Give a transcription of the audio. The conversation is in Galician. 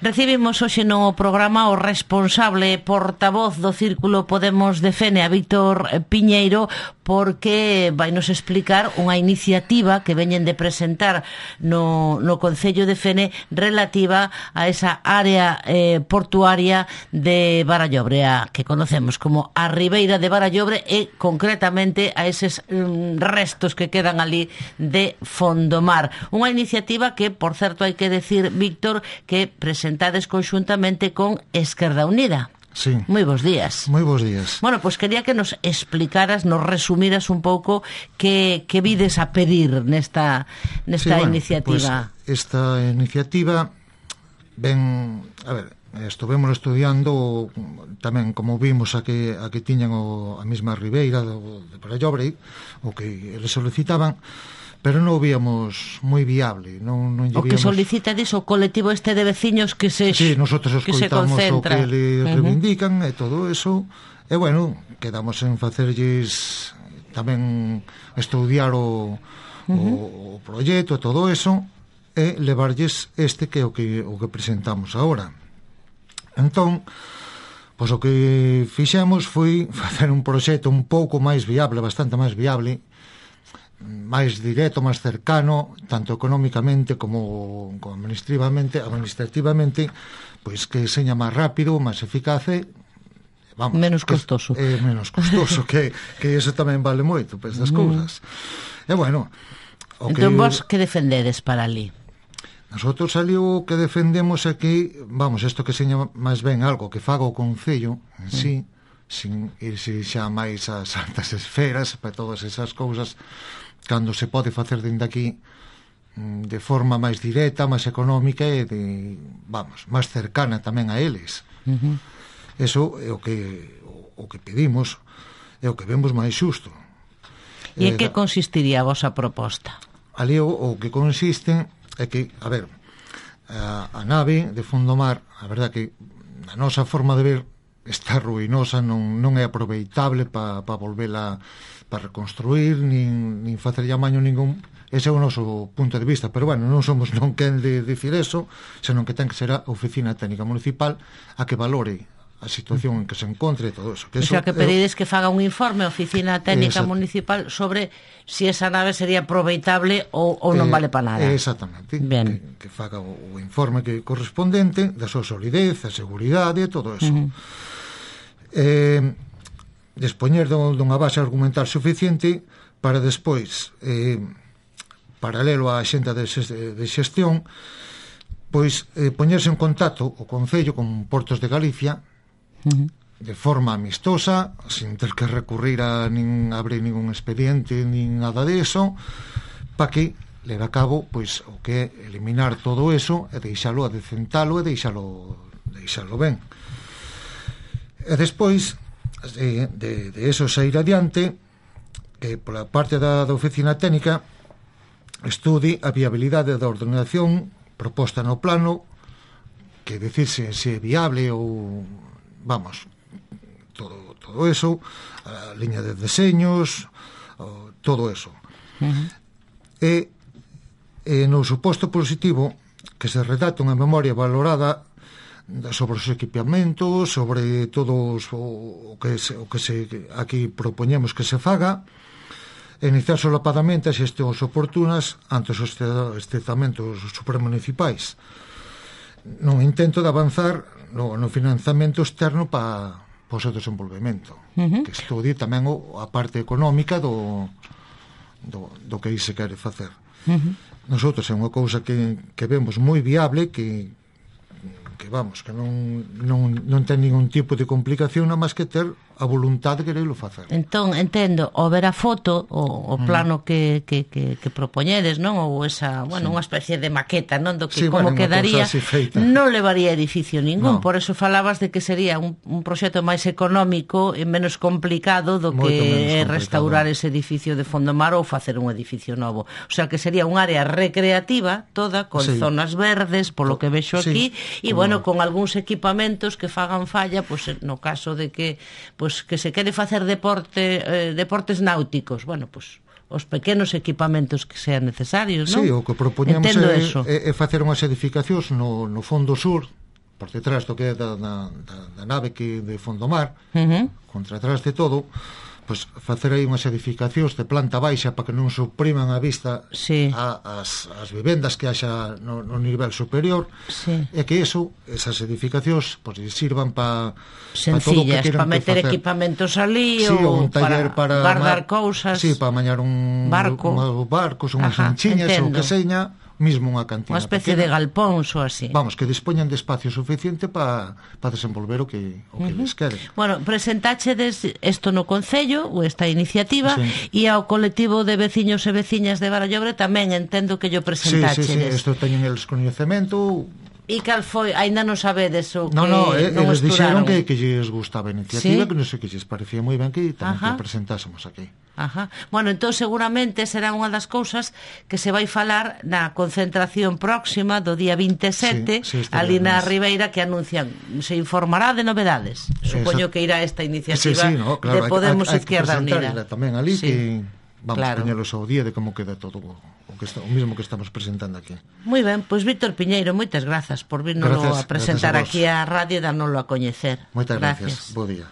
Recibimos hoxe no programa o responsable portavoz do Círculo Podemos de Fene, a Víctor Piñeiro, porque vai nos explicar unha iniciativa que veñen de presentar no Concello de Fene relativa a esa área portuaria de Barallobre, a que conocemos como a Ribeira de Barallobre, e concretamente a eses restos que quedan ali de Fondomar. Unha iniciativa que, por certo, hai que decir, Víctor, que presentades conxuntamente con Esquerda Unida. Sí. Moi bons días. Moi bons días. Bueno, pois quería que nos explicaras, nos resumiras un pouco que vides a pedir nesta iniciativa. Pues esta iniciativa ven, a ver, estuvemos estudiando tamén como vimos a que tiñan a mesma ribeira de Barallobre, o que eles solicitaban, pero non o víamos moi viable. Non o que solicita diso o colectivo este de veciños que se Sí, nosotros escoitamos o que le reivindican e todo eso, e bueno, quedamos en facerlles tamén estudiar o proxecto, todo eso, e levarlles este que é o que presentamos agora. Entón, pois o que fixemos foi facer un proxecto un pouco máis viable, bastante máis viable, máis directo, máis cercano, tanto económicamente como administrativamente, pois que seña máis rápido, máis eficaz e vamos, menos costoso. Menos costoso, que eso tamén vale moito para estas cousas. E bueno, entón vos que defendedes para ali? Nosotros ali o que defendemos é que, vamos, isto que seña máis ben algo que faga o Concello en sí, sin irse xa máis ás altas esferas para todas esas cousas, cando se pode facer dende aquí de forma máis directa, máis económica e máis cercana tamén a eles. Eso é o que pedimos, é o que vemos máis xusto. E en que consistiría a vosa proposta? Ali o que consiste é que, a ver, a nave de Fondomar, a verdad que a nosa forma de ver está ruinosa, non é aproveitable para volvela, para reconstruir, nin facer llamaño ningún. Ese é o noso punto de vista, pero bueno, non somos non quen de dicir eso, senón que ten que ser a Oficina Técnica Municipal a que valore a situación en que se encontre e todo eso. O sea, que pedides que faga un informe a Oficina Técnica Municipal sobre si esa nave sería aproveitable ou non vale para nada. Exactamente. Que faga o informe que correspondente da súa solidez, a seguridade e todo eso. Dispoñer dunha base argumental suficiente para despois, paralelo á xenta de xestión, pois poñerse en contacto o Concello con Portos de Galicia de forma amistosa, sin ter que recurrir a abrir ningún expediente nin nada de eso, para que leve a cabo pois o que é eliminar todo eso e deixalo, adecentalo e deixalo ben. E despois de eso sair adiante, que pola parte da Oficina Técnica estude a viabilidade da ordenación proposta no plano, que decirse se é viable ou, vamos, todo eso, a liña de deseños, todo eso. E no suposto positivo que se redacte unha memoria valorada sobre os equipamentos, sobre todos o que aquí propoñemos que se faga, e iniciar solapadamente as xestións oportunas ante os estamentos supramunicipais, no intento de avanzar no financiamento externo para o seu desenvolvemento, que estudie tamén a parte económica do que aí se quere facer. Nosotros é unha cousa que vemos moi viable, que vamos, que non ten ningún tipo de complicación, nada máis que ter a voluntade de quererlo facer. Entón, entendo, ao ver a foto, o plano que propoñedes, non? Ou esa, bueno, unha especie de maqueta, non? Do que como quedaría, non levaría edificio ningún, por eso falabas de que sería un proxecto máis económico e menos complicado do que restaurar ese edificio de Fondomar ou facer un edificio novo. O sea, que sería un área recreativa toda, con zonas verdes, polo que vexo aquí, e, bueno, con algúns equipamentos que fagan falla, pois no caso de que que se quere facer deportes náuticos, bueno, pois os pequenos equipamentos que sean necesarios, non? Sí, o que propoñemos é facer unhas edificacións no fondo sur por detrás do que é da nave que de Fondomar, contra atrás de todo, pois facer aí unhas edificacións de planta baixa para que non supriman a vista as vivendas que haxa no nivel superior, e que esas edificacións pois sirvan para sencillas, para meter equipamentos ali, ou un taller para guardar cousas, para mañar barcos, unhas anchiñas, ou que seña, mismo unha cantina, unha especie de galpóns ou así. Vamos, que dispoñan de espacio suficiente para desenvolver o que les quede. Bueno, presentáchedes isto no Concello, ou esta iniciativa, e ao colectivo de veciños e veciñas de Barallobre tamén entendo que yo presentáchedes. Sí, isto teñen eles coñecemento. E cal foi? Ainda non sabedes o que non eles dixeron que lles gustaba a iniciativa, que non sei, que lles parecía moi ben que tamén que presentásemos aquí. Bueno, entón seguramente será unha das cousas que se vai falar na concentración próxima do día 27 ali na Ribeira, que anuncian, se informará de novedades. Supoño que irá esta iniciativa de Podemos Izquierda Unida tamén ali, que vamos a poñelos ao día de como queda todo o mismo que estamos presentando aquí. Moi ben, pois Víctor Piñeiro, moitas grazas por virnos a presentar aquí a radio e darnoslo a coñecer. Moitas gracias. Bo día.